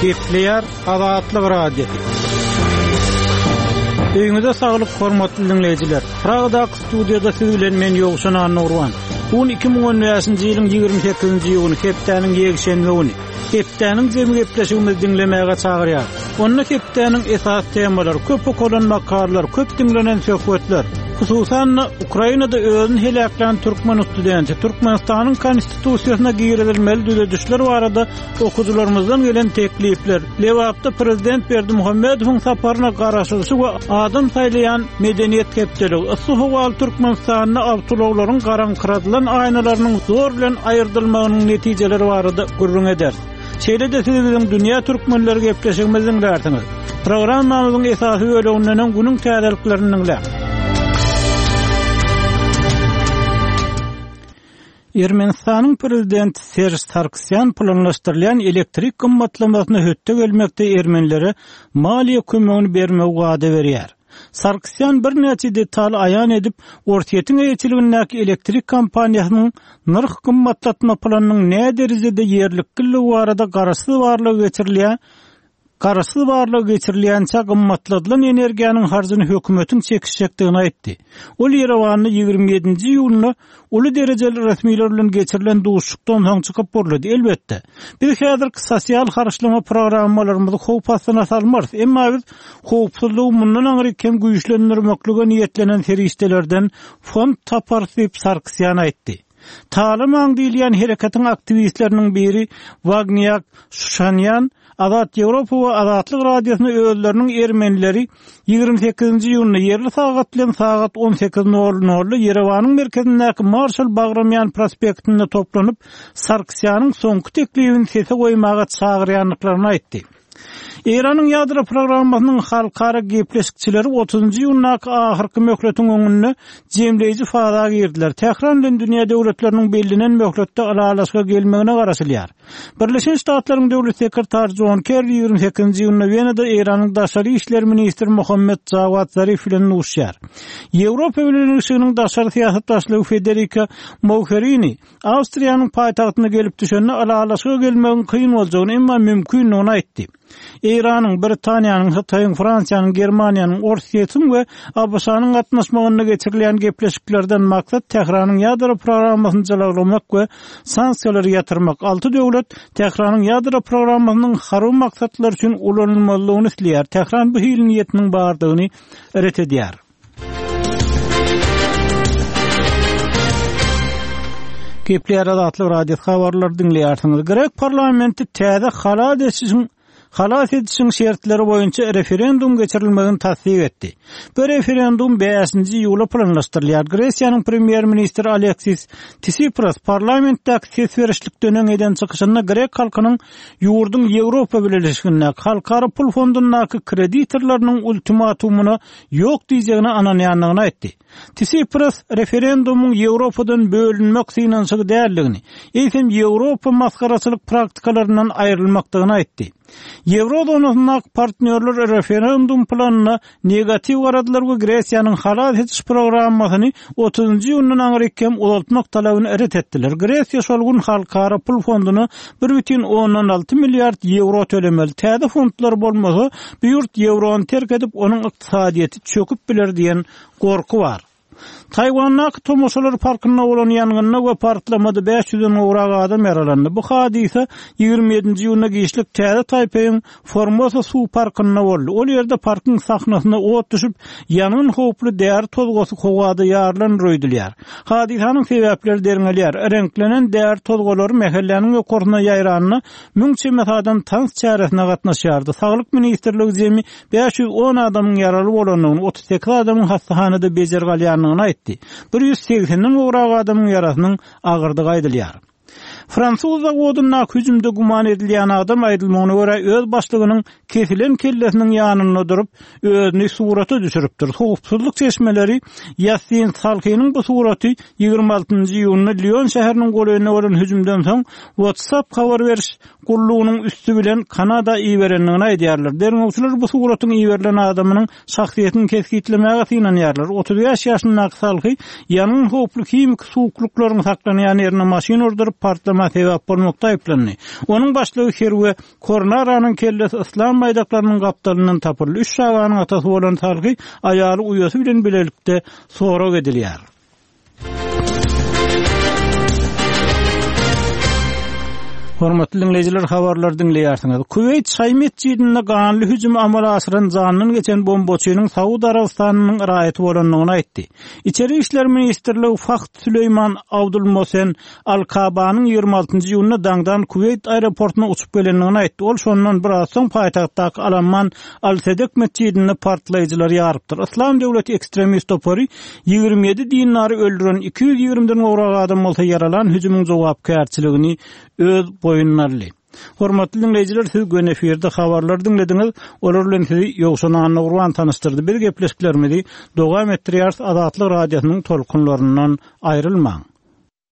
Gepleýär Azatlyk Radiosy. Öýüňize saglyk hormatly diňleýjiler. Pragadaky studiýada siz bilen men Ýowşan Annagurban. Bu gün 2015-nji ýylyň 28-nji iýuny, hepdäniň ýekşenbe güni. Hepdäniň jemi gepleşigimizi diňlemäge çagyrýar. Onda hepdäniň esasy temalary, köp okalan makalalar, köp diňlenen söhbetler, hususan-da, Ukrainada özüni heläklän türkmen studenti, Türkmenistanyň Konstitusiýasyna girizilmeli düzedişler barada okyjylarymyzdan gelen teklipler, Lebapda prezident Berdimuhamedowyň saparyna garaşylyşy we adam saýlaýan Medeniýet hepdeligi, yssy howaly Türkmenistanda awtoulaglaryň garaňkyradylan aýnalarynyň zor bilen aýyrdylmagynyň netijeleri barada gürrüň ederis. Şeýle-de siz biziň Dünýä türkmenleri gepleşigimizi diňlärsiňiz. Programmamyzyň esasy böleginden öň günüň täzeliklerini diňläň. Ermenistanyň prezidenti Serž Sargsýan planlaşdyrylýan elektrik gymmatlamasyna hötde gelmekde ermenilere maliýe kömegini bermegi wada berýär. Sargsýan birnäçe detaly aýan edip, Orsýetiň eýeçiligindäki elektrik kompaniýasynyň nyrh gymmatlatma planynyň näderejede ýerlikliligi barada garaşsyz barlag geçirilýär Garaşsyz barlag geçirilýänçä gymmatladylan energiýanyň harjyny hökümetiň çekişjekdigini aýtdy. Ol Ýerewanda 27-nji iýunda uly derejeli resmiler bilen geçirilen duşuşykdan soň çykyp gürledi, Elbetde, biz häzirki sosial harçlama programmalarymyzy howp astyna salmarys, emma biz howpsuzlygy mundan aňryk hem güýçlendirmeklige niýetlenen serişdelerden fond taparys diýip, Sarkisýan aýtdy. Talamaň diýilýän hereketiň aktiwistleriniň biri Wagniak Şuşanýan Azat Ýewropa we Azatlyk Radiosyna özleriniň ermenileri 28-nji iýunda ýerli sagat bilen sagat 18 nol nolda Ýerewanyň merkezindäki Marşal Bagramýan prospektinde toplanyp, Sargsýanyň soňky teklibini sese goýmaga çagyrýandyklaryny aýtdy. Eýranyň ýadro programmasynyň halkara gepleşikçileri otuzynjy iýundaky ahyrky möhletiň öňünde jemleýji faza girdiler. Tähran bilen dünýä döwletleriniň bellenen möhletde ylalaşyga gelmegine garaşylýar. Birleşen Ştatlaryň döwlet sekretary Jon Kerri 28-nji iýunda Wenada Eýranyň daşary işler ministri Mohammed Jawad Zarif bilen duşuşar. Ýewropa Bileleşiginiň daşary syýasat başlygy Federika Mogherini Awstriýanyň paýtagtyna gelip düşende ylalaşyga gelmegiň kyn boljagyny, emma mümkindigini aýtdy. Eýranyň, Britaniýanyň, Hytaýyň, Fransiýanyň, Germaniýanyň, Orsýetiň we ABŞ-nyň gatnaşmagynda geçirilýän gepleşiklerden maksat Tähranyň ýadro programmasyny jylawlamak we sanksiýalary ýatyrmak. Alty döwlet Tähranyň ýadro programmasynyň harby maksatlar üçin ulanylmazlygyny isleýär. Tähran bu hili niýetiniň bardygyny ret edýär. Gepleýär Azatlyk Radiosy habarlary diňleýärsiňiz. Grek parlamenti täze halas edişiň halas edişiň şertleri boýunça referendum geçirilmegini tassyk etdi. Bu referendum 5-nji iýula planlaşdyrylýar. Gresiýanyň premýer-ministri Aleksis Tsipras parlamentdäki ses berişlikden öň eden çykyşynda grek halkynyň ýurduň Ýewropa Bileleşigindäki Halkara pul fondundaky kreditorlarynyň ultimatumyna ýok diýjegine ynanýandygyny aýtdy. Tsipras referendumyň Ýewropadan bölünmek synanyşygy däldigini, eýsem Ýewropa masgaraçylyk praktikalaryndan aýrylmakdygyny aýtdy. Ýewro zonasyndaky partnýorlar referendum planyna negatiw garadylar we Gresiýanyň halas ediş programmasyny otuzynjy iýundan aňryk hem uzaltmak talabyny ret etdiler. Gresiýa şol gün Halkara pul fonduna 1,6 milliard ýewro tölemeli. Täze fondlar bolmasa, bu ýurt ýewrony terk edip, onuň ykdysadyýeti çöküp biler diýen gorky bar. Taýwandaky tomaşalar parkynda bolan ýangynda we partlamada bäş ýüzden gowrak adam ýaralandy. Bu hadysa 27-nji iýunda giçlik Täze Taýpeýiň Formosa suw parkynda boldy. Ol ýerde parkyň sahnasyna ot düşüp, ýangyn howply däri tozgasy howada ýarylandyr öýdülýär. Hadysanyň sebäpleri derňelýär. Reňklenen däri tozgalary mähelläniň ýokarsyna ýaýranda, müň çemesi adam tans çäresine gatnaşýardy. Saglyk ministrligi jemi 510 adamyň ýaraly bolandygyny, 38 adamyň hassahanada bejergi alýandygyny aýtdy. 180-den gowrak adamyň ýarasynyň agyrdygy aýdylýar. Fransuz zawodyndaky hüjümde güman edilýän adam aýdylmagyna görä öz başlygynyň kesilen kellesiniň ýanynda durup, özüni surata düşüripdir. Howpsuzlyk çeşmeleri Ýassin Salhiniň bu suraty 26-njy iýunda Lion şäheriniň golaýynda bolan hüjümden soň WhatsApp habar beriş gullugynyň üsti bilen Kanada iberendigini aýdýarlar. Derňewçiler bu suratyň iberilen adamynyň şahsyýetini kesgitlemäge synanýarlar. 35 ýaşyndaky Salhy ýangyn howply himiki suwuklyklaryň saklanýan ýerine maşyn urduryp, partlama. partlama sebäp bolmakda aýyplandy. Onuň başlygy Herwe Kornaranyň kellesi yslam baýdaklarynyň gapdalyndan tapyldy. Üç çaganyň atasy bolan Salhi aýaly uýasy bilen bilelikde sorag edilýär. Hormatly diňleýjiler, habarlary diňleýärsiňiz. Kuweýt şaýy metjidinde ganly hüjümi amala aşyran janyndan geçen bombaçynyň Saud Arabystanynyň raýaty bolandygyny aýtdy. Içeri işler ministrligi Fahd Süleýman Abdulmosen Al-Kabanyň 26-njy iýunda daňdan Kuweýt aeroportuna uçup gelendigini aýtdy. Ol şondan biraz soň paýtagtdaky Al-Amman Al-Sedek metjidinde partlaýjylary ýarypdyr. Yslam döwleti ekstremist topary 27 dindary öldüren, 220-den gowrak adam bolsa ýaralan hüjümiň jogapkärçiligini öz boýnuna aldy. Hormatly diňleýjiler, siz göni efirde habarlary diňlediňiz. Olar bilen sizi Ýowşan Annagurban tanyşdyrdy. Biz gepleşiklerimizi dowam etdirýäris. Azatlyk Radiosynyň tolkunlaryndan aýrylmaň.